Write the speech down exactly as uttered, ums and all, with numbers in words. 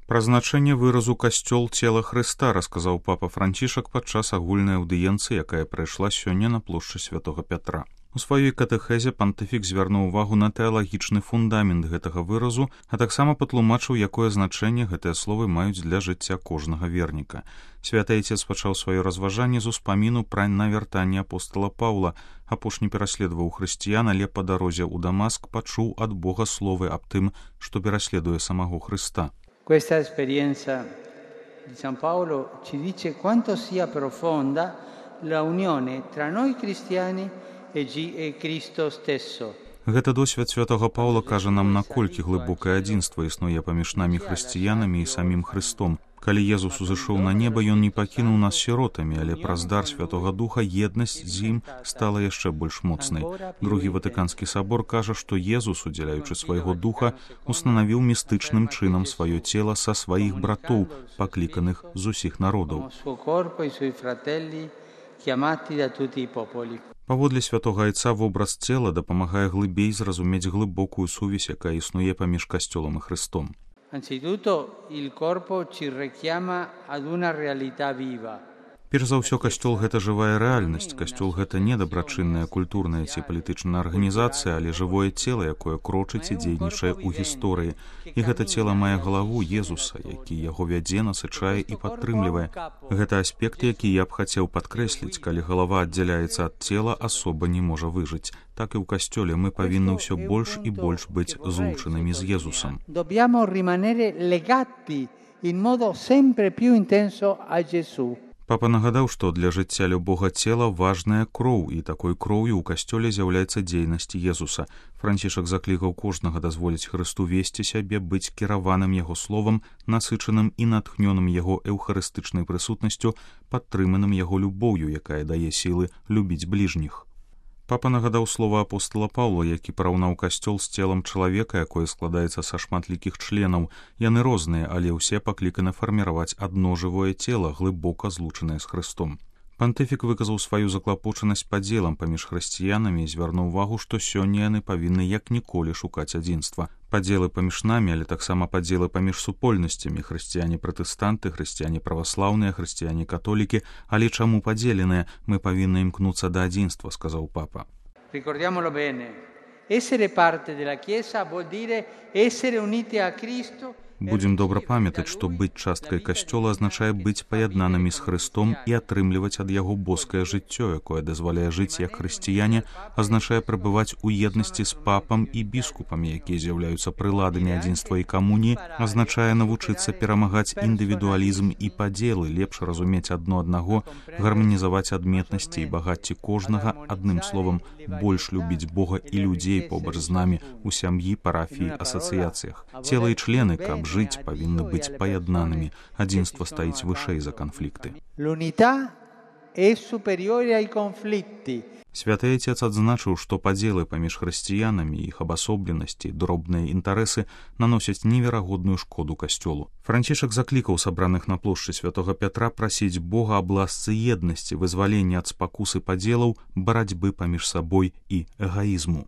Пра значэнне выразу «касцёл цела Хрыста» расказаў папа Францішак падчас агульнай аўдыенцыі, якая прайшла сёння на плошчы Святога Пятра. У сваёй катэхезе пантыфік звярнуў увагу на тэалагічны фундамент гэтага выразу, а таксама патлумачыў, якое значэнне гэтыя словы маюць для жыцця кожнага верніка. Святы Айцец пачаў сваё разважанне з успаміну пра навяртанне апостала Паўла. Апошні пераследаваў хрысціян, але па дарозе ў Дамаск пачуў ад Бога словы аб тым, што пераследуе самого Хрыста. Questa esperienza di San Paolo ci dice quanto sia profonda la unione tra noi cristiani e Cristo stesso. Гэта досвед святого Паўла кажа нам, наколькі глыбокае адзінства існуе паміж намі хрысціянамі і самім Хрыстом. Калі Езус узышоў на неба, ён не пакінуў нас сіротамі, але праз дар Святога Духа еднасць з ім стала яшчэ больш моцнай. Другі Ватыканскі сабор кажа, што Езус, удзяляючы свайго духа, устанавіў містычным чынам сваё цела са сваіх братоў, пакліканых з усіх народаў. Паводле святога Айца вобраз цела дапамагае глыбей зразумець глыбокую сувязь, якая існуе паміж касцёлам і Хрыстом. Anzitutto il corpo ci richiama ad una realtà viva. Перш за ўсё, касцёл — гэта жывая рэальнасць. Касцёл — гэта не дабрачынная культурная ці палітычная арганізацыя, але жывое цела, якое крочыць і дзейнічае ў гісторыі. І гэта цела мае галаву Езуса, які яго вядзе, насычае і падтрымлівае. Гэта аспект, які я б хацеў падкрэсліць. Калі галава аддзяляецца ад цела, асоба не можа выжыць. Так і ў касцёле мы павінны ўсё больш і больш быць злучанымі з Езусам. Dobbiamo rimanere legati in modo sempre più intenso a Gesù. Папа нагадаў, што для жыцця любога цела важная кроў, і такой кроўю ў касцёле з'яўляецца дзейнасць Езуса. Францішак заклікаў кожнага дазволіць Хрысту весці сябе, быць кіраваным яго словам, насычаным і натхнёным яго эўхарыстычнай прысутнасцю, падтрыманым яго любоўю, якая дае сілы любіць бліжніх. Папа нагадаў слова апостала Паўла, які параўнаў касцёл з целам чалавека, якое складаецца са шматлікіх членаў. Яны розныя, але ўсе пакліканы фарміраваць адно жывое цела, глыбока злучанае з Хрыстом. Пантыфік выказаў сваю заклапочанасць падзелам паміж хрысціянамі і звярнуў увагу, што сёння яны павінны як ніколі шукаць адзінства. Падзелы паміж намі, але таксама падзелы паміж супольнасцямі, хрысціяне-пратэстанты, хрысціяне-праваслаўныя, хрысціяне-католікі, але чаму падзеленыя? Мы павінны імкнуцца да адзінства, сказаў папа. Ricordiamolo bene. Essere parte della Chiesa vuol dire essere uniti a Cristo. Будзем добра памятаць, што быць часткай касцёла азначае быць паяднанымі з Хрыстом і атрымліваць ад яго боскае жыццё, якое дазваляе жыць як хрысціяне, азначае прабываць у еднасці з папам і біскупамі, якія з'яўляюцца прыладамі адзінства і камуніі, азначае навучыцца перамагаць індывідуалізм і падзелы, лепш разумець адно аднаго, гарманізаваць адметнасці і багацці кожнага, адным словам, больш любіць Бога і людзей побач з намі у сям'і, парафіі, асацыяцыях. Цела і члены, каб жыць, павінны быць паяднанымі. Адзінства стаіць вышэй за канфлікты. L'unità è superiore ai conflitti. Святы Айцец адзначыў, што падзелы паміж хрысціянамі, іх абасобленасці, дробныя інтарэсы наносяць неверагодную шкоду касцёлу. Францішак заклікаў сабраных на плошчы Святога Пятра прасіць Бога аб ласцы еднасці, вызвалення ад спакусы падзелаў, барацьбы паміж сабой і эгаізму.